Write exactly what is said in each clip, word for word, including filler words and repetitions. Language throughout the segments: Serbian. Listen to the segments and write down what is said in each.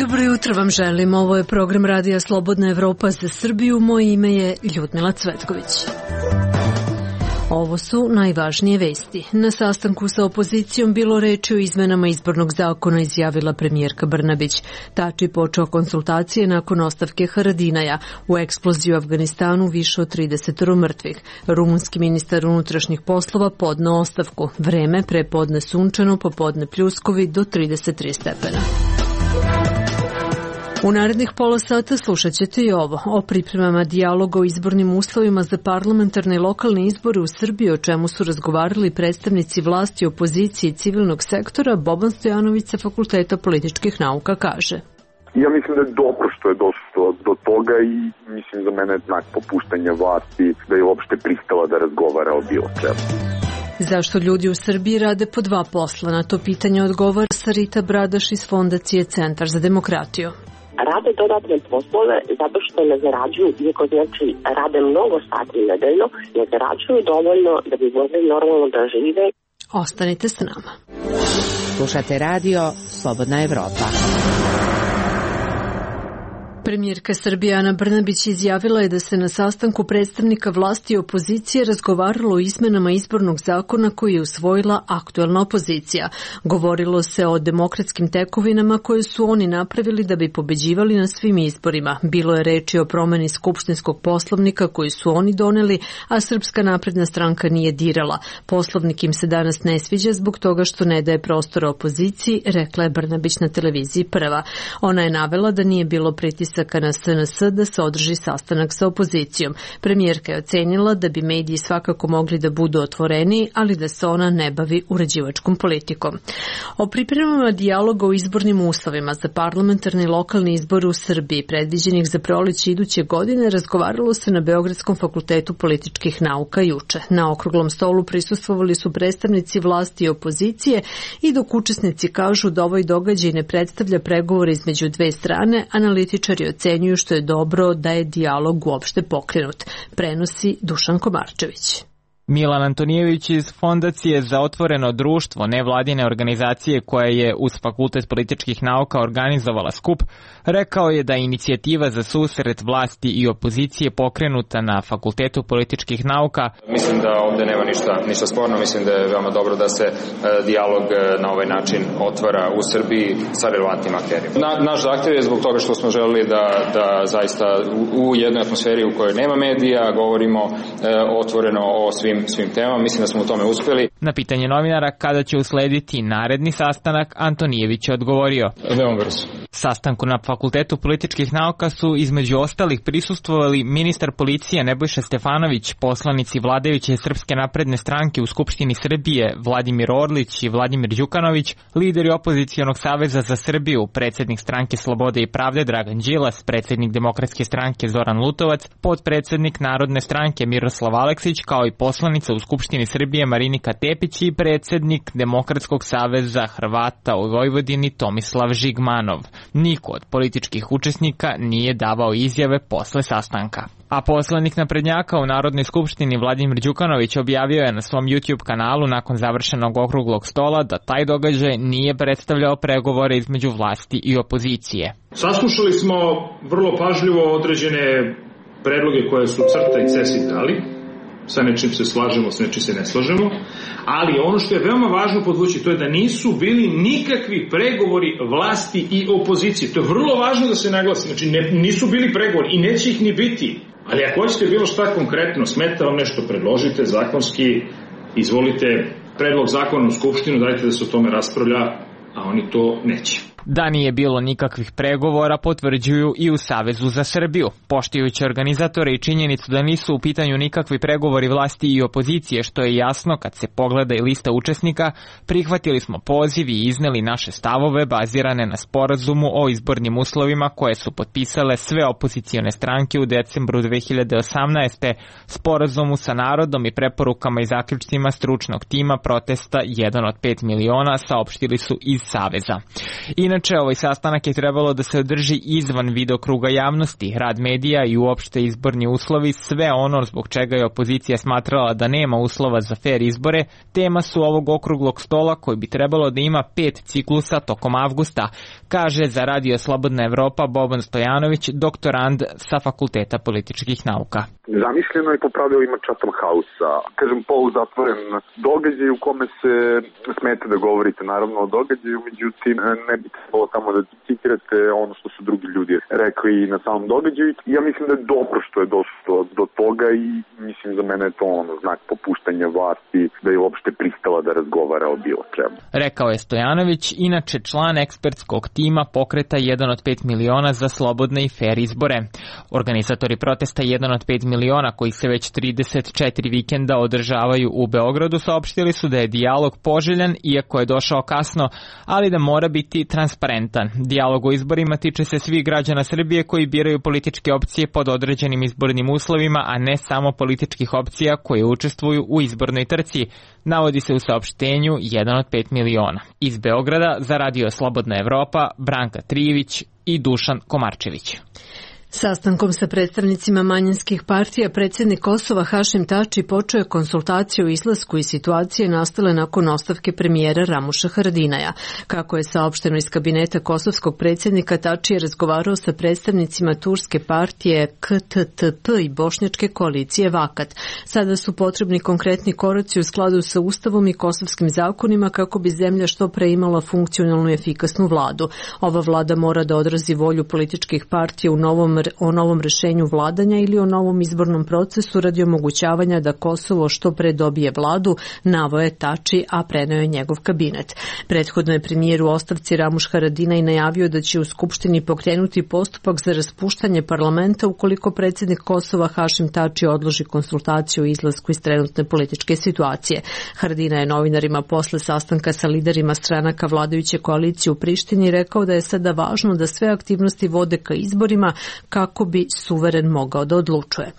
Dobro jutro vam želim. Ovo je program Radija Slobodna Evropa za Srbiju. Moje ime je Ljudmila Cvetković. Ovo su najvažnije vesti. Na sastanku sa opozicijom bilo reči o izmenama izbornog zakona, izjavila premijerka Brnabić. Tači počeo konsultacije nakon ostavke Haradinaja. U eksploziji u Afganistanu više od trideset mrtvih. Rumunski ministar unutrašnjih poslova podneo ostavku. Vreme prepodne sunčano, popodne pljuskovi do trideset tri stepena. U narednih pola sata slušat ćete i ovo, o pripremama dijaloga o izbornim uslovima za parlamentarne i lokalne izbore u Srbiji, o čemu su razgovarali predstavnici vlasti, opozicije i civilnog sektora. Boban Stojanović sa Fakulteta političkih nauka kaže: Ja mislim da je dobro što je došlo do toga i mislim za mene je znak popuštanja vlasti da je uopšte pristala da razgovara o bilo čemu. Zašto ljudi u Srbiji rade po dva posla? Na to pitanje odgovara Sarita Bradaš iz Fondacije Centar za demokratiju. Rade dodatne poslove zato što ne zarađuju, iako znači rade mnogo sati nedeljno, ne zarađuju dovoljno da bi mogli normalno da žive. Ostanite s nama. Slušate radio Slobodna Evropa. Premijerka Srbije Ana Brnabić izjavila je da se na sastanku predstavnika vlasti i opozicije razgovaralo o izmenama izbornog zakona koji je usvojila aktuelna opozicija. Govorilo se o demokratskim tekovinama koje su oni napravili da bi pobeđivali na svim izborima. Bilo je reči o promeni skupštinskog poslovnika koji su oni doneli, a Srpska napredna stranka nije dirala. Poslovnik im se danas ne sviđa zbog toga što ne daje prostora opoziciji, rekla je Brnabić na televiziji Prva. Ona je navela da nije bilo pritisaka na S N S da se održi sastanak sa opozicijom. Premijerka je ocenila da bi mediji svakako mogli da budu otvoreni, ali da se ona ne bavi uređivačkom politikom. O pripremama dijaloga o izbornim uslovima za parlamentarni i lokalni izbor u Srbiji, predviđenih za proleće iduće godine, razgovaralo se na Beogradskom fakultetu političkih nauka juče. Na okruglom stolu prisustvovali su predstavnici vlasti i opozicije i dok učesnici kažu da ovaj događaj ne predstavlja pregovore između dve strane, analitičari ocenjuju što je dobro da je dijalog uopšte pokrenut, prenosi Dušan Komarčević. Milan Antonijević iz Fondacije za otvoreno društvo, nevladine organizacije koja je uz Fakultet političkih nauka organizovala skup, rekao je da je inicijativa za susret vlasti i opozicije pokrenuta na Fakultetu političkih nauka. Mislim da ovde nema ništa, ništa sporno, mislim da je veoma dobro da se e, dijalog na ovaj način otvara u Srbiji sa relevantnim akterima. Na, naš zahtev je zbog toga što smo želeli da, da zaista u, u jednoj atmosferi u kojoj nema medija govorimo e, otvoreno o svim svim temama, mislim da smo u tome uspeli. Na pitanje novinara kada će uslediti naredni sastanak, Antonijević je odgovorio: Veoma brzo. Sastanku na Fakultetu političkih nauka su između ostalih prisustvovali ministar policije Nebojša Stefanović, poslanici vladajuće Srpske napredne stranke u Skupštini Srbije Vladimir Orlić i Vladimir Đukanović, lideri opozicionog saveza za Srbiju, predsjednik stranke Slobode i pravde Dragan Đilas, predsjednik Demokratske stranke Zoran Lutovac, potpredsjednik Narodne stranke Miroslav Aleksić, kao i poslanica u Skupštini Srbije Marinika Tepić i predsjednik Demokratskog saveza Hrvata u Vojvodini Tomislav Žigmanov. Niko od političkih učesnika nije davao izjave posle sastanka. A poslanik naprednjaka u Narodnoj skupštini Vladimir Đukanović objavio je na svom YouTube kanalu nakon završenog okruglog stola da taj događaj nije predstavljao pregovore između vlasti i opozicije. Saslušali smo vrlo pažljivo određene predloge koje su CRTA i C E S I dali. Sa nečim se slažemo, sa nečim se ne slažemo, ali ono što je veoma važno podvući, to je da nisu bili nikakvi pregovori vlasti i opozicije. To je vrlo važno da se naglasi, znači ne, nisu bili pregovori i neće ih ni biti. Ali ako hoćete bilo šta konkretno, smeta vam nešto, predložite zakonski, izvolite predlog zakona u Skupštinu, dajte da se o tome raspravlja, a oni to neće. Da nije bilo nikakvih pregovora potvrđuju i u Savezu za Srbiju, poštujući organizatore i činjenicu da nisu u pitanju nikakvi pregovori vlasti i opozicije, što je jasno kad se pogleda i lista učesnika. Prihvatili smo poziv i izneli naše stavove bazirane na sporazumu o izbornim uslovima koje su potpisale sve opozicione stranke u decembru dve hiljade osamnaeste. Sporazumu sa narodom i preporukama i zaključcima stručnog tima protesta jedan od pet miliona, saopštili su iz Saveza. Inače, Inače, ovaj sastanak je trebalo da se održi izvan videokruga javnosti, rad medija i uopšte izborni uslovi, sve ono zbog čega je opozicija smatrala da nema uslova za fer izbore, tema su ovog okruglog stola koji bi trebalo da ima pet ciklusa tokom avgusta, kaže za Radio Slobodna Evropa Boban Stojanović, doktorand sa Fakulteta političkih nauka. Zamišljeno je po pravilima Chatham House-a, kažem poluzatvoren događaj u kome se smete da govorite naravno o događaju, međutim ne bi trebalo tamo da citirate ono što su drugi ljudi rekli na samom događaju. Ja mislim da je dobro što je došlo do toga i mislim za mene je to ono znak popuštanja vlasti da je uopšte pristala da razgovara o bilo čemu. Rekao je Stojanović, inače član ekspertskog tima pokreta jedan od pet miliona za slobodne i fer izbore. Organizatori protesta jedan od pet miliona koji se već trideset četiri vikenda održavaju u Beogradu saopštili su da je dijalog poželjan iako je došao kasno, ali da mora biti transparentan. Dijalog o izborima tiče se svih građana Srbije koji biraju političke opcije pod određenim izbornim uslovima, a ne samo političkih opcija koje učestvuju u izbornoj trci, navodi se u saopštenju jedan od pet miliona. Iz Beograda za Radio Slobodna Evropa Branka Trijević i Dušan Komarčević. Sastankom sa predstavnicima manjinskih partija predsjednik Kosova Hašim Tači počeo je konsultaciju o izlasku iz situacije nastale nakon ostavke premijera Ramuša Haradinaja. Kako je saopšteno iz kabineta kosovskog predsjednika, Tači je razgovarao sa predstavnicima turske partije K T T P i bošnjačke koalicije Vakat. Sada su potrebni konkretni koraci u skladu sa Ustavom i kosovskim zakonima kako bi zemlja što pre imala funkcionalnu i efikasnu vladu. Ova vlada mora da odrazi volju političkih partija u novom o novom rešenju vladanja ili o novom izbornom procesu radi omogućavanja da Kosovo što pre dobije vladu, naveo je Tači, a preneo je njegov kabinet. Prethodno je premijer u ostavci Ramuš Haradinaj najavio da će u Skupštini pokrenuti postupak za raspuštanje parlamenta ukoliko predsjednik Kosova Hašim Tači odloži konsultaciju o izlasku iz trenutne političke situacije. Haradinaj je novinarima posle sastanka sa liderima stranaka vladajuće koalicije u Prištini rekao da je sada važno da sve aktivnosti vode ka izborima kako bi suveren mogao da odlučuje.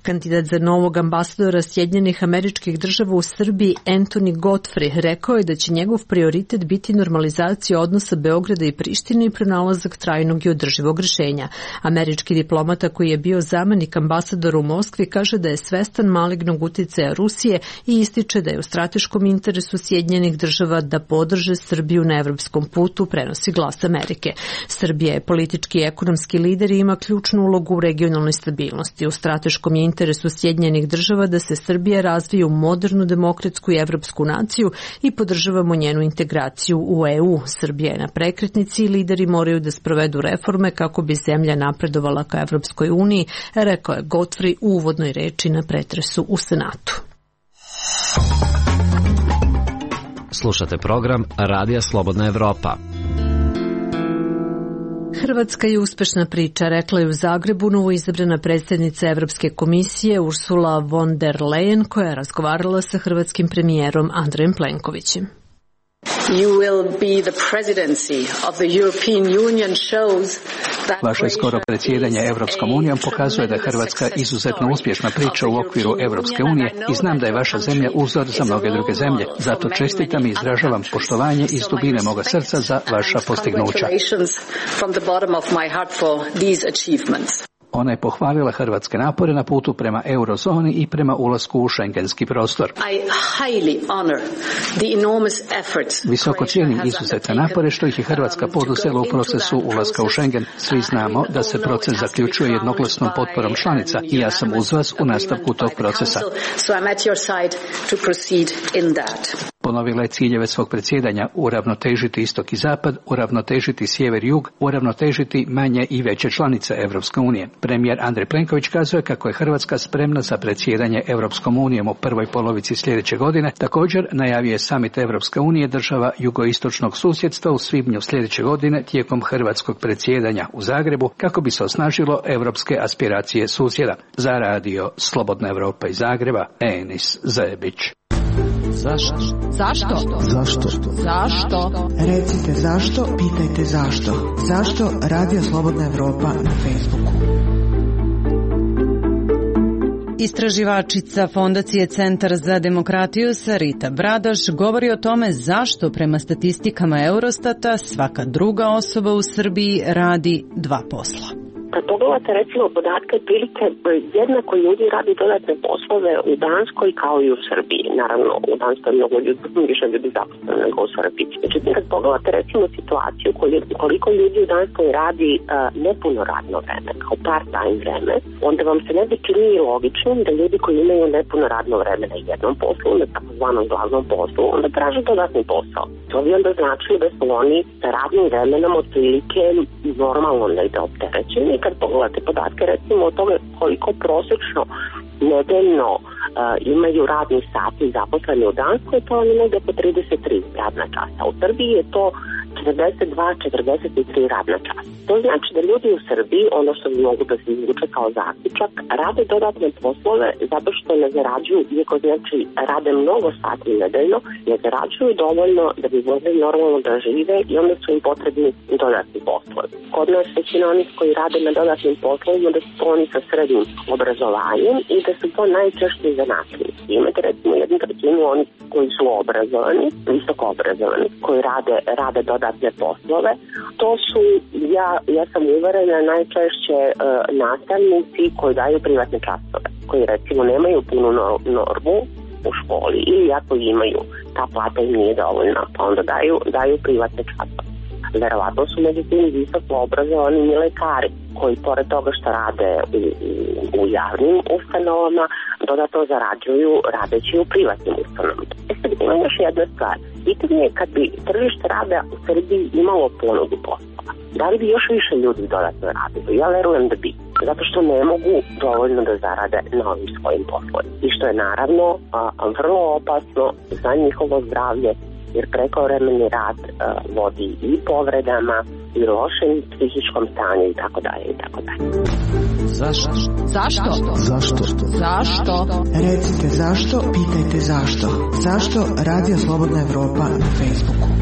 Kandidat za novog ambasadora Sjedinjenih Američkih Država u Srbiji Anthony Godfrey rekao je da će njegov prioritet biti normalizacija odnosa Beograda i Prištine i pronalazak trajnog i održivog rešenja. Američki diplomata koji je bio zamenik ambasadora u Moskvi kaže da je svestan malignog uticaja Rusije i ističe da je u strateškom interesu Sjedinjenih Država da podrže Srbiju na evropskom putu, prenosi Glas Amerike. Srbija je politički i ekonomski lider i ima ključnu ulogu u regionalnoj stabilnosti. U strateškom je interesu Sjedinjenih Država da se Srbija razvije u modernu demokratsku i evropsku naciju i podržavamo njenu integraciju u E U. Srbija je na prekretnici i lideri moraju da sprovedu reforme kako bi zemlja napredovala ka Evropskoj uniji, rekao je Godfrey u uvodnoj reči na pretresu u Senatu. Slušate program Radija Slobodna Evropa. Hrvatska je uspešna priča, rekla je u Zagrebu novoizabrana predsjednica Evropske komisije Ursula von der Leyen, koja je razgovarala sa hrvatskim premijerom Andrejem Plenkovićem. Vaše skoro predsjedanje Evropskom unijom pokazuje da je Hrvatska izuzetno uspješna priča u okviru Evropske unije i znam da je vaša zemlja uzor za mnoge druge zemlje. Zato čestitam i izražavam poštovanje iz dubine moga srca za vaša postignuća. Ona je pohvalila hrvatske napore na putu prema eurozoni i prema ulasku u šengenski prostor. Visoko cijenim izuzetne napore što ih je Hrvatska poduzela u procesu ulaska u Schengen. Svi znamo da se proces zaključuje jednoglasnom potporom članica i ja sam uz vas u nastavku tog procesa. Ponovila je ciljeve svog predsjedanja: uravnotežiti istok i zapad, uravnotežiti sjever i jug, uravnotežiti manje i veće članice Evropske unije. Premijer Andrej Plenković kazuje kako je Hrvatska spremna za predsjedanje Evropskom unijom u prvoj polovici sljedeće godine. Također najavio je samit Evropske unije država jugoistočnog susjedstva u svibnju sljedeće godine tijekom hrvatskog predsjedanja u Zagrebu kako bi se osnažilo evropske aspiracije susjeda. Za radio Slobodna Evropa iz Zagreba, Enis Zebić. Zašto? Zašto? Zašto? Zašto? Recite zašto, pitajte zašto. Zašto Radio Slobodna Evropa na Facebooku? Istraživačica Fondacije Centar za demokratiju Sarita Bradaš govori o tome zašto prema statistikama Eurostata svaka druga osoba u Srbiji radi dva posla. Kad pogledate recimo podatke, prilike jednako ljudi radi dodatne poslove u Danskoj kao i u Srbiji. Naravno, u Danskoj je mnogo ljudi, više ljudi zaposleno nego u Srbiji. Međutim, kad pogledate recimo situaciju koliko ljudi u Danskoj radi uh, nepuno radno vreme, kao part-time vreme, onda vam se ne bi čini logičnim da ljudi koji imaju nepuno radno vreme na jednom poslu, na takozvanom glavnom poslu, onda traže dodatni posao. To bi onda značilo da su oni sa radnim vremenom otprilike normalno negde opterećeni. Kad pogledate podatke recimo o tome koliko prosečno nedeljno uh, imaju radni sati zaposleni u Danskoj, to je negde po trideset tri radna časa. U Srbiji je to četrdeset dva do četrdeset tri radna časa. To znači da ljudi u Srbiji, ono što bi mogu da se izvuče kao zaključak, rade dodatne poslove zato što ne zarađuju, iako znači rade mnogo sati nedeljno, ne zarađuju dovoljno da bi mogli normalno da žive i onda su im potrebni dodatni poslovi. Kod nas većina onih koji rade na dodatnim poslovima da su to oni sa srednjim obrazovanjem i da su to najčešće zanatljivi. Imate recimo jednu trećinu onih koji su obrazovani, visoko obrazovani, koji rade, rade dodatne poslove. To su, ja, ja sam uverena, najčešće uh, nastavnici koji daju privatne časove, koji recimo nemaju punu normu u školi ili ako imaju, ta plata im nije dovoljna, pa onda daju, daju privatne časove. Verovatno su među tim visoko obrazovani i lekari koji pored toga što rade u, u javnim ustanovama dodatno zarađuju radeći u privatnim ustanovama. E sad ima još jedna stvar. Pitanje je kad bi tržište rada u Srbiji imalo ponudu poslova. Da li bi još više ljudi dodatno radili? Ja verujem da bi. Zato što ne mogu dovoljno da zarade na ovim svojim poslovima. I što je naravno a, vrlo opasno za njihovo zdravlje, jer prekovremeni rad uh, vodi i povredama i lošem psihičkom stanju i tako dalje i tako dalje. Zašto? Zašto? Zašto? Zašto? Recite zašto, pitajte zašto. Zašto Radio Slobodna Evropa na Facebooku?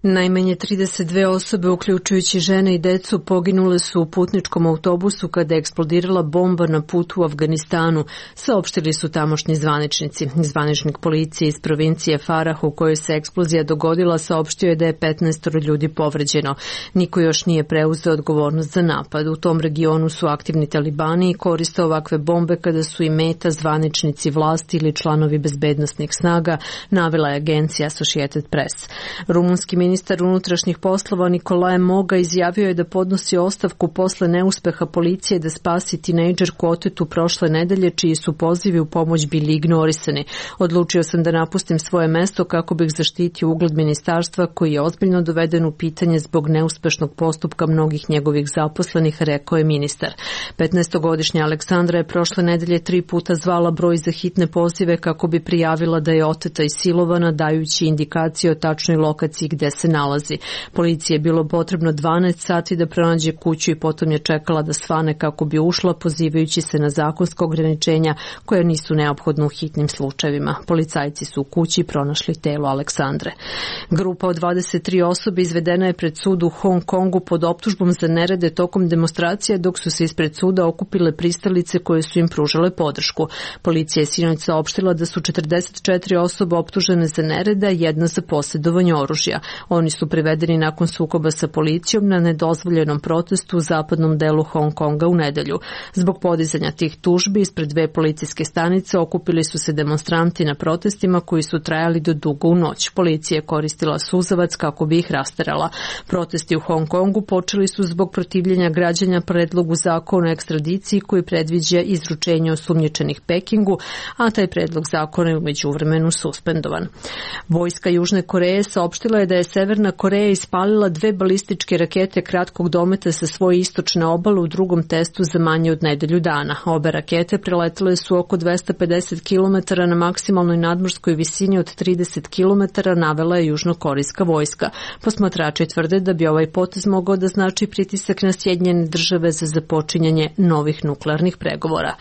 Najmanje trideset dve osobe, uključujući žene i decu, poginule su u putničkom autobusu kada je eksplodirala bomba na putu u Afganistanu, saopštili su tamošnji zvaničnici. Zvaničnik policije iz provincije Farah u kojoj se eksplozija dogodila saopštio je da je petnaest ljudi povređeno. Niko još nije preuzeo odgovornost za napad. U tom regionu su aktivni talibani i koriste ovakve bombe kada su i meta zvaničnici vlasti ili članovi bezbednosnih snaga, navela je agencija Associated Press. Rumunski ministar Ministar unutrašnjih poslova Nikolae Moga izjavio je da podnosi ostavku posle neuspeha policije da spasi tinejdžerku otetu prošle nedelje, čiji su pozivi u pomoć bili ignorisani. Odlučio sam da napustim svoje mesto kako bih zaštitio ugled ministarstva koji je ozbiljno doveden u pitanje zbog neuspešnog postupka mnogih njegovih zaposlenih, rekao je ministar. petnaestogodišnja Aleksandra je prošle nedelje tri puta zvala broj za hitne pozive kako bi prijavila da je oteta i silovana, dajući indikacije o tačnoj lokaciji gde se nalazi. Policiji je bilo potrebno dvanaest sati da pronađe kuću i potom je čekala da svane kako bi ušla, pozivajući se na zakonska ograničenja koja nisu neophodna u hitnim slučajevima. Policajci su u kući pronašli telo Aleksandre. Grupa od dvadeset tri osobe izvedena je pred sud u Hong Kongu pod optužbom za nerede tokom demonstracija, dok su se ispred suda okupile pristalice koje su im pružale podršku. Policija je sinoć saopštila da su četrdeset četiri osobe optužene za nereda, jedna za posjedovanje oružja. Oni su privedeni nakon sukoba sa policijom na nedozvoljenom protestu u zapadnom delu Hong Konga u nedelju. Zbog podizanja tih tužbi ispred dve policijske stanice okupili su se demonstranti na protestima koji su trajali do dugo u noć. Policija je koristila suzavac kako bi ih rasterala. Protesti u Hong Kongu počeli su zbog protivljenja građana predlogu zakona o ekstradiciji koji predviđa izručenje osumnjičenih Pekingu, a taj predlog zakona je u međuvremenu suspendovan. Vojska Južne Koreje saopštila je da je Severna Koreja ispalila dve balističke rakete kratkog dometa sa svoje istočne obale u drugom testu za manje od nedelju dana. Obe rakete preletele su oko dvesta pedeset kilometara na maksimalnoj nadmorskoj visini od trideset kilometara, navela je južnokorejska vojska. Posmatrači tvrde da bi ovaj potez mogao da znači pritisak na Sjedinjene države za započinjanje novih nuklearnih pregovora.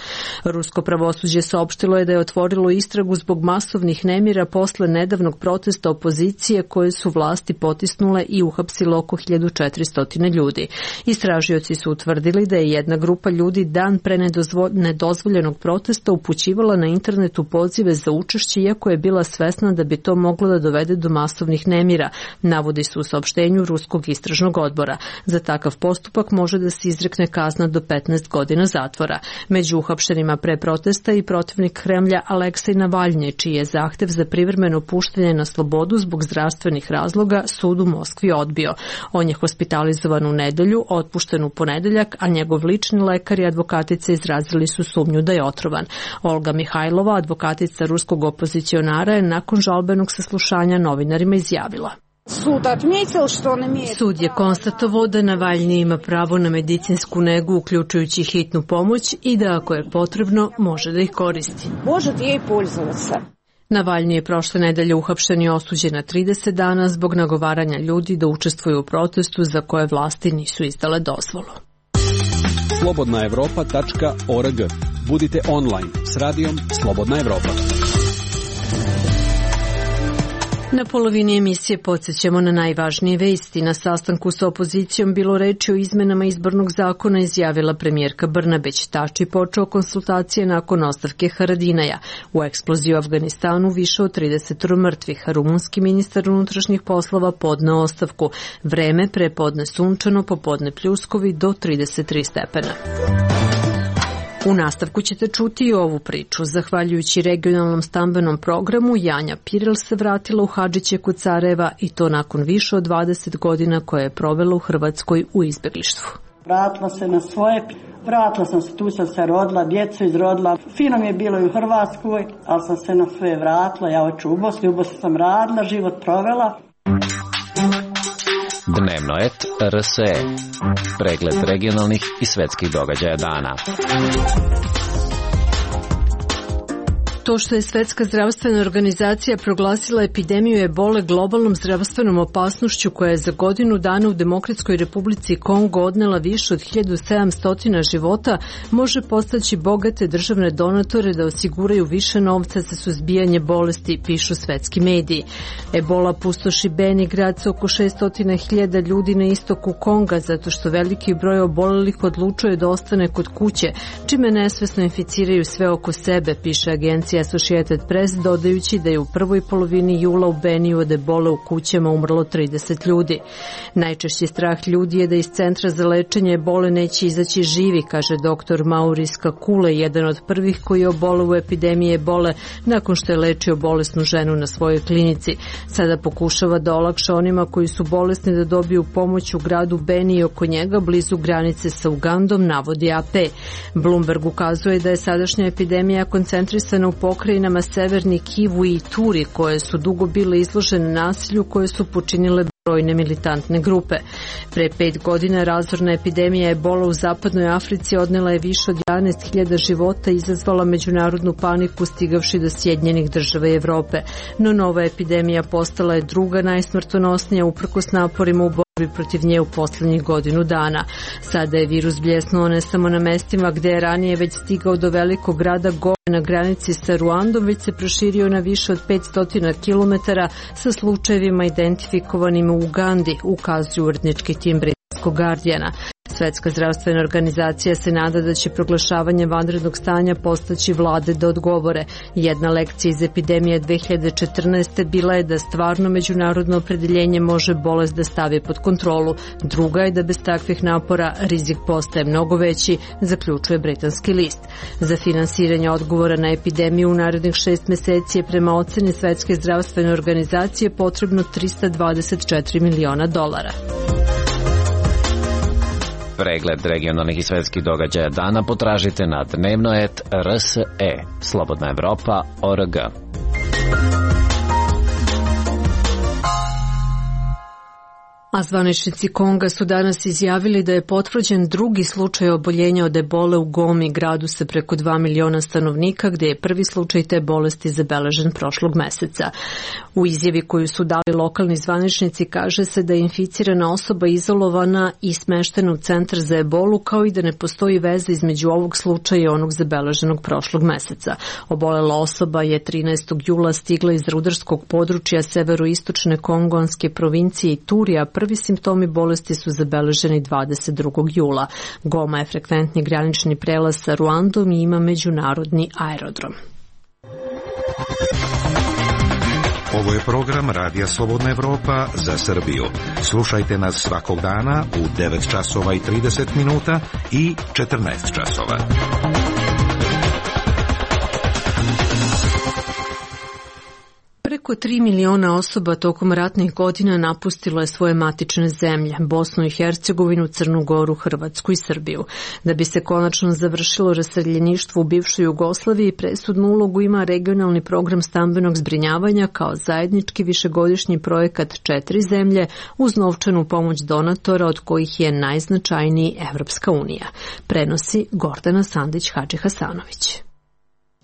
Rusko pravosuđe saopštilo je da je otvorilo istragu zbog masovnih nemira posle nedavnog protesta opozicije koje su vlasti vlasti potisnule i uhapsile oko hiljadu četiristo ljudi. Istražioci su utvrdili da je jedna grupa ljudi dan pre nedozvoljenog protesta upućivala na internetu pozive za učešće, iako je bila svesna da bi to moglo da dovede do masovnih nemira, navodi se u saopštenju Ruskog istražnog odbora. Za takav postupak može da se izrekne kazna do petnaest godina zatvora. Među uhapšenima pre protesta i protivnik Kremlja Aleksej Navalnji, čiji je zahtev za privremeno puštanje na slobodu zbog zdravstvenih razloga sud u Moskvi odbio. On je hospitalizovan u nedelju, otpušten u ponedeljak, a njegov lični lekar i advokatica izrazili su sumnju da je otrovan. Olga Mihajlova, advokatica ruskog opozicionara, je nakon žalbenog saslušanja novinarima izjavila: Sud je konstatovao da Navalnji ima pravo na medicinsku negu, uključujući hitnu pomoć, i da ako je potrebno može da ih koristi. Navalnji je prošle nedelje uhapšen i osuđen na trideset dana zbog nagovaranja ljudi da učestvuju u protestu za koje vlasti nisu izdale dozvolu. slobodna evropa tačka org. Budite online s radijom Slobodna Evropa. Na polovini emisije podsjećamo na najvažnije vesti. Na sastanku sa opozicijom bilo reči o izmenama izbornog zakona, izjavila premijerka Brnabić. Tači počeo konsultacije nakon ostavke Haradinaja. U eksploziji u Afganistanu više od trideset mrtvih. Rumunski ministar unutrašnjih poslova podneo ostavku. Vreme prepodne sunčano, popodne pljuskovi do trideset tri stepena. U nastavku ćete čuti i ovu priču. Zahvaljujući regionalnom stambenom programu, Janja Pirel se vratila u Hadžiće kod Sarajeva, i to nakon više od dvadeset godina koje je provela u Hrvatskoj u izbeglištvu. Vratila se na svoje, vratila sam se, tu sam se rodila, djecu izrodila. Fino mi je bilo i u Hrvatskoj, ali sam se na svoje vratila. Ja hoću u Bosni, u Bosni sam radila, život provela. Dnevnoet R S E. Pregled regionalnih i svetskih događaja dana. To što je Svetska zdravstvena organizacija proglasila epidemiju ebole globalnom zdravstvenom opasnošću koja je za godinu dana u Demokratskoj Republici Kongo odnela više od hiljadu sedamsto života, može postaći bogate državne donatore da osiguraju više novca za suzbijanje bolesti, pišu svetski mediji. Ebola pustoši Beni, grad sa oko šesto hiljada ljudi na istoku Konga, zato što veliki broj obolelih odlučuje da ostane kod kuće, čime nesvesno inficiraju sve oko sebe, piše agencija Associated Press, dodajući da je u prvoj polovini jula u Beniju od ebole u kućama umrlo trideset ljudi. Najčešći strah ljudi je da iz centra za lečenje ebole neće izaći živi, kaže doktor Maurice Kakule, jedan od prvih koji je oboleo u epidemiji ebole nakon što je lečio bolesnu ženu na svojoj klinici. Sada pokušava da olakša onima koji su bolesni da dobiju pomoć u gradu Beni i oko njega, blizu granice sa Ugandom, navodi A P. Bloomberg ukazuje da je sadašnja epidemija koncentrisana u pokrajinama Severni Kivu i Turi, koje su dugo bile izložene nasilju koje su počinile brojne militantne grupe. Pre pet godina razorna epidemija ebola u zapadnoj Africi odnela je više od jedanaest hiljada života i izazvala međunarodnu paniku, stigavši do Sjedinjenih Država i Evrope. No nova epidemija postala je druga najsmrtonosnija uprkos naporima u borbi protiv nje u poslednjih godinu dana. Sada je virus bljesnuo ne samo na mestima gde je ranije već stigao do velikog grada Gome na granici sa Ruandom, već se proširio na više od petsto kilometara sa slučajevima identifikovanim u Ugandi, ukazuju urednički tim britanskog Guardiana. Svetska zdravstvena organizacija se nada da će proglašavanje vanrednog stanja postaći vlade da odgovore. Jedna lekcija iz epidemije dve hiljade četrnaeste bila je da stvarno međunarodno opredeljenje može bolest da stavi pod kontrolu. Druga je da bez takvih napora rizik postaje mnogo veći, zaključuje britanski list. Za finansiranje odgovora na epidemiju u narednih šest meseci je prema oceni Svetske zdravstvene organizacije potrebno trista dvadeset četiri miliona dolara. Pregled regionalnih i svetskih događaja dana potražite na dnevnoet R S E, Slobodna Evropa O R G. A zvaničnici Konga su danas izjavili da je potvrđen drugi slučaj oboljenja od ebole u Gomi, gradu sa preko dva miliona stanovnika, gde je prvi slučaj te bolesti zabeležen prošlog meseca. U izjavi koju su dali lokalni zvaničnici kaže se da je inficirana osoba izolovana i smeštena u centar za ebolu, kao i da ne postoji veza između ovog slučaja i onog zabeleženog prošlog meseca. Obolela osoba je trinaestog jula stigla iz rudarskog područja severoistočne kongonske provincije Iturija. Prvi simptomi bolesti su zabeleženi dvadeset drugog jula. Goma je frekventni granični prelaz sa Ruandom i ima međunarodni aerodrom. Ovo je program Radija Slobodna Evropa za Srbiju. Slušajte nas svakog dana u devet časova i trideset minuta i četrnaest časova. Preko tri miliona osoba tokom ratnih godina napustilo je svoje matične zemlje, Bosnu i Hercegovinu, Crnu Goru, Hrvatsku i Srbiju. Da bi se konačno završilo raseljeništvo u bivšoj Jugoslaviji, presudnu ulogu ima regionalni program stambenog zbrinjavanja kao zajednički višegodišnji projekat četiri zemlje uz novčanu pomoć donatora, od kojih je najznačajniji Evropska unija. Prenosi Gordana Sandić-Hadži-Hasanović.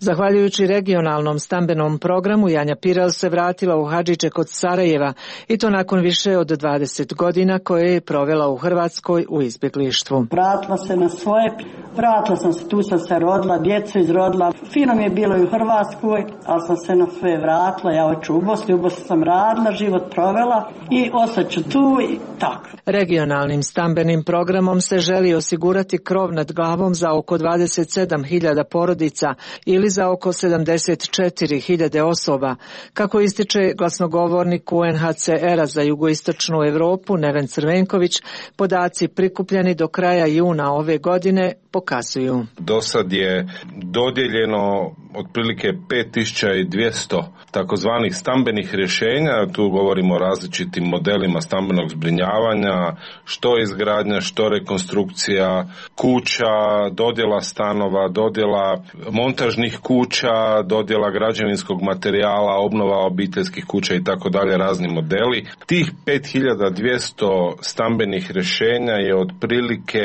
Zahvaljujući regionalnom stambenom programu, Janja Piral se vratila u Hadžiće kod Sarajeva i to nakon više od dvadeset godina koje je provela u Hrvatskoj u izbjeglištvu. Vratila se na svoje, vratila sam se, tu sam se rodila, djecu izrodila. Fino mi je bilo i u Hrvatskoj, ali sam se na sve vratila. Ja hoću u Bosni, u Bosni sam radila, život provela i ostaću tu i tako. Regionalnim stambenim programom se želi osigurati krov nad glavom za oko dvadeset sedam hiljada porodica ili za oko sedamdeset četiri hiljade osoba. Kako ističe glasnogovornik U N H C R-a za jugoistočnu Europu Neven Crvenković, podaci prikupljeni do kraja juna ove godine pokazuju. Do sad je dodijeljeno otprilike pet tisuća dvjesto takozvanih stambenih rješenja, tu govorimo o različitim modelima stambenog zbrinjavanja, što izgradnja, što rekonstrukcija kuća, dodjela stanova, dodjela montažnih kuća, dodjela građevinskog materijala, obnova obiteljskih kuća i tako dalje, razni modeli. Tih pet hiljada dvjesto stambenih rješenja je otprilike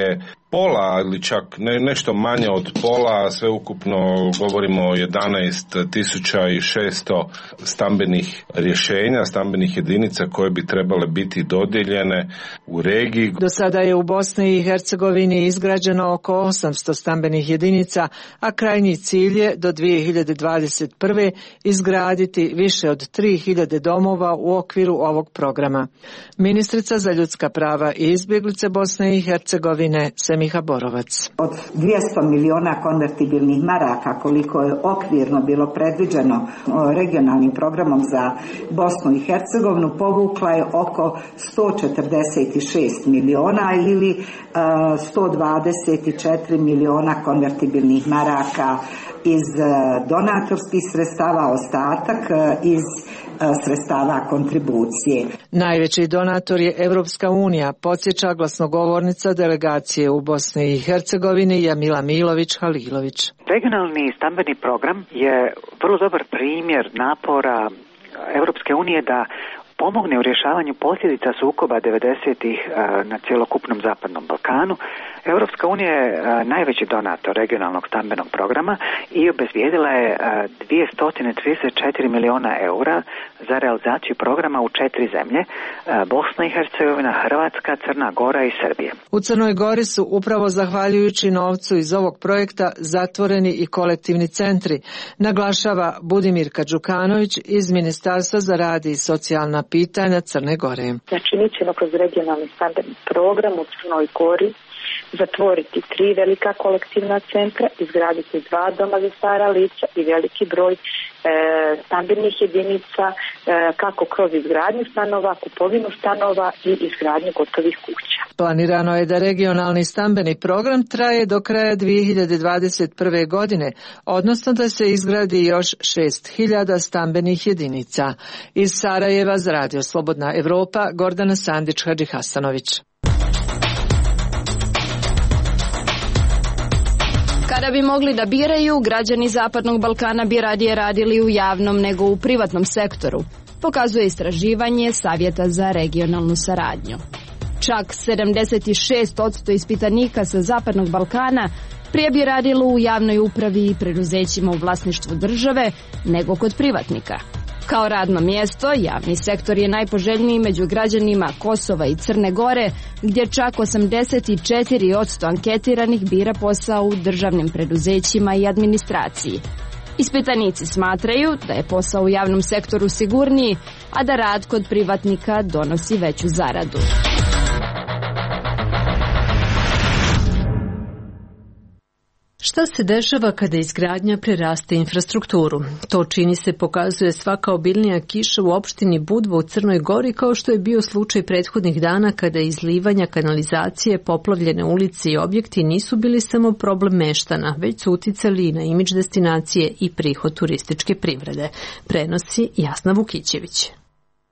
pola ili čak ne, nešto manje od pola, sve ukupno govorimo o jedanaest tisuća šesto stambenih rješenja, stambenih jedinica koje bi trebale biti dodijeljene u regiji. Do sada je u Bosni i Hercegovini izgrađeno oko osamsto stambenih jedinica, a krajnji cilj je do dvije hiljade dvadeset prve izgraditi više od tri hiljade domova u okviru ovog programa. Ministrica za ljudska prava i izbjeglice Bosne i Hercegovine Semiha Borovac. Od dvjesto miliona konvertibilnih maraka koliko je okvirno bilo predviđeno regionalnim programom za Bosnu i Hercegovinu, povukla je oko sto četrdeset šest miliona ili sto dvadeset četiri miliona konvertibilnih maraka iz donatorskih sredstava, ostatak iz sredstava kontribucije. Najveći donator je Evropska unija, podsjeća glasnogovornica delegacije u Bosni i Hercegovini Jamila Milović-Halilović. Regionalni stambeni program je vrlo dobar primjer napora Evropske unije da pomogne u rješavanju posljedica sukoba devedesetih na cjelokupnom Zapadnom Balkanu. Europska unija je najveći donator regionalnog stambenog programa i obezbijedila je dvjesto trideset četiri miliona eura za realizaciju programa u četiri zemlje: Bosna i Hercegovina, Hrvatska, Crna Gora i Srbija. U Crnoj Gori su upravo zahvaljujući novcu iz ovog projekta zatvoreni i kolektivni centri, naglašava Budimirka Đukanović iz Ministarstva za rad i socijalna pitanja Crne Gore. Znači, mi ćemo kroz regionalni stambeni program u Crnoj Gori zatvoriti tri velika kolektivna centra, izgraditi dva doma za stara lica i veliki broj e, stambenih jedinica, e, kako kroz izgradnju stanova, kupovinu stanova i izgradnju gotovih kuća. Planirano je da regionalni stambeni program traje do kraja dvije hiljade dvadeset prve. godine, odnosno da se izgradi još šest hiljada stambenih jedinica. Iz Sarajeva za Radio Slobodna Evropa, Gordana Sandić-Hadži-Hasanović. Kada bi mogli da biraju, građani Zapadnog Balkana bi radije radili u javnom nego u privatnom sektoru. pokazuje istraživanje Savjeta za regionalnu saradnju. Čak sedamdeset šest posto ispitanika sa Zapadnog Balkana prije bi radilo u javnoj upravi i preduzećima u vlasništvu države nego kod privatnika. Kao radno mjesto, javni sektor je najpoželjniji među građanima Kosova i Crne Gore, gdje čak osamdeset četiri posto anketiranih bira posao u državnim preduzećima i administraciji. Ispitanici smatraju da je posao u javnom sektoru sigurniji, a da rad kod privatnika donosi veću zaradu. Šta se dešava kada izgradnja preraste infrastrukturu? To čini se pokazuje svaka obilnija kiša u opštini Budva u Crnoj Gori, kao što je bio slučaj prethodnih dana kada izlivanja kanalizacije, poplavljene ulice i objekti nisu bili samo problem meštana, već su uticali na imidž destinacije i prihod turističke privrede. Prenosi Jasna Vukićević.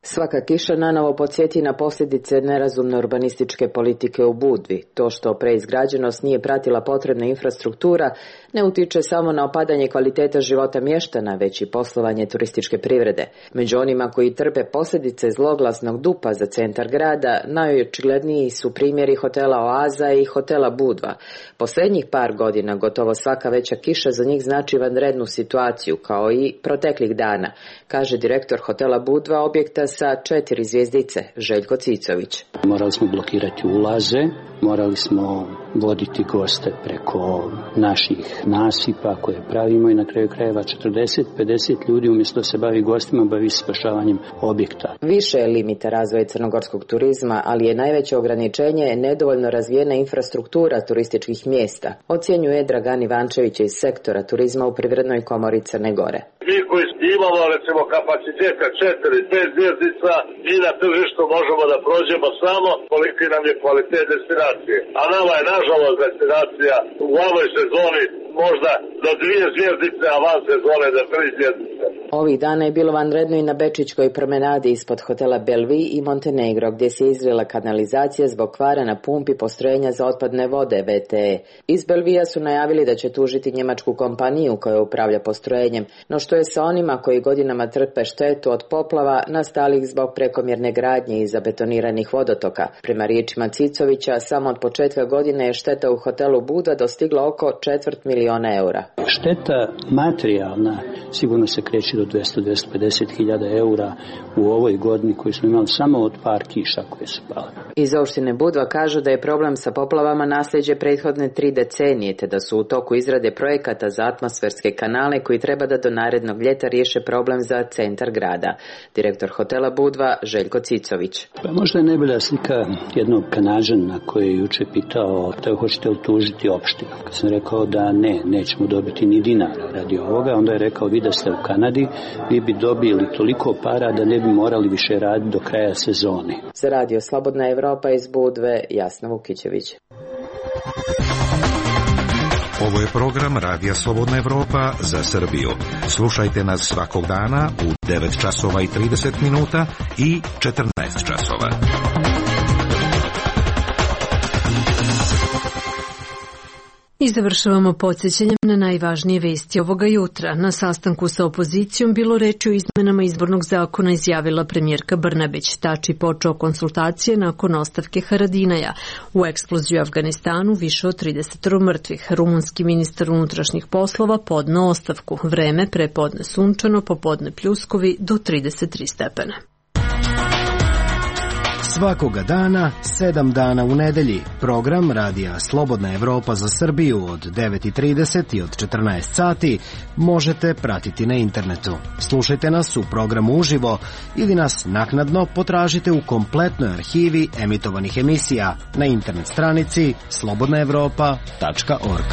Svaka kiša nanovo podsjeti na posljedice nerazumne urbanističke politike u Budvi. To što preizgrađenost nije pratila potrebna infrastruktura ne utiče samo na opadanje kvaliteta života mještana, već i poslovanje turističke privrede. Među onima koji trpe posljedice zloglasnog dupa za centar grada, najočigledniji su primjeri hotela Oaza i hotela Budva. Posljednjih par godina gotovo svaka veća kiša za njih znači vanrednu situaciju, kao i proteklih dana, kaže direktor hotela Budva, objekta sa četiri zvjezdice, Željko Cicović. Morali smo blokirati ulaze, morali smo voditi goste preko naših nasipa koje pravimo i na kraju krajeva četrdeset do pedeset ljudi umjesto da se bavi gostima, bavi spašavanjem objekta. Više je limita razvoja crnogorskog turizma, ali je najveće ograničenje nedovoljno razvijena infrastruktura turističkih mjesta, ocjenjuje Dragan Ivančević iz sektora turizma u Privrednoj komori Crne Gore. Mi koji imamo recimo kapaciteta četiri, pet zvjezdica i na tržištu možemo da prođemo samo koliki nam je kvalitet destinacije. A nama je nažalost destinacija u ovoj sezoni možda do dvije zvjezdice, a van sezone do tri zvjezdice. Ovih dana je bilo vanredno i na Bečićkoj promenadi ispod hotela Belvi i Montenegro, gdje se izlila kanalizacija zbog kvara na pumpi postrojenja za otpadne vode V T E. Iz Belvija su najavili da će tužiti njemačku kompaniju koja upravlja postrojenjem, no što je sa onima koji godinama trpe štetu od poplava nastalih zbog prekomjerne gradnje i zabetoniranih vodotoka. Prema riječima Cicovića, samo od početka godine je šteta u hotelu Budva dostigla oko četvrt miliona eura. Šteta materijalna sigurno se kreće do dvjesto do dvjesto pedeset hiljada eura u ovoj godini koju smo imali samo od par kiša koje su pale. Iz opštine Budva kažu da je problem sa poplavama nasljeđe prethodne tri decenije, te da su u toku izrade projekata za atmosferske kanale koji treba da do narednog ljeta riješe problem za centar grada. Direktor hotela Budva Željko Cicović. Pa možda je najbolja slika jednog Kanađana koji je juče pitao da hoćete utužiti opštinu. Kad sam rekao da ne, nećemo dobiti ni dinara radi ovoga, onda je rekao vi da ste u Kanadi, vi bi dobili toliko para da ne bi morali više raditi do kraja sezone. Za radio Slobodna Evropa iz Budve, Jasna Vukićević. Ovo je program Radija Slobodna Evropa za Srbiju. Slušajte nas svakog dana u devet časova i trideset minuta i četrnaest časova. I završavamo podsjećanjem na najvažnije vesti ovoga jutra. Na sastanku sa opozicijom bilo reči o izmenama izbornog zakona, izjavila premijerka Brnabić. Tači počeo konsultacije nakon ostavke Haradinaja. U eksploziju u Afganistanu više od trideset mrtvih. Rumunski ministar unutrašnjih poslova podneo ostavku. Vreme prepodne sunčano, popodne pljuskovi do trideset tri stepena. Svakoga dana, sedam dana u nedelji. Program Radija Slobodna Evropa za Srbiju od devet i trideset i od četrnaest sati možete pratiti na internetu. Slušajte nas u programu uživo ili nas naknadno potražite u kompletnoj arhivi emitovanih emisija na internet stranici slobodna evropa tačka org.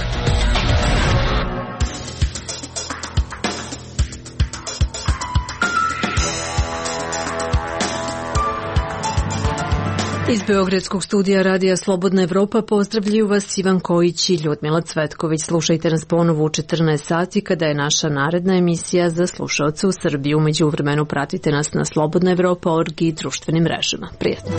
Iz Beogradskog studija Radija Slobodna Evropa pozdravljaju vas Ivan Kojić i Ljudmila Cvetković. Slušajte nas ponovo u četrnaest sati kada je naša naredna emisija za slušaoce u Srbiji. Umeđu vremenu pratite nas na slobodna evropa tačka org i društvenim mrežama. Prijetno.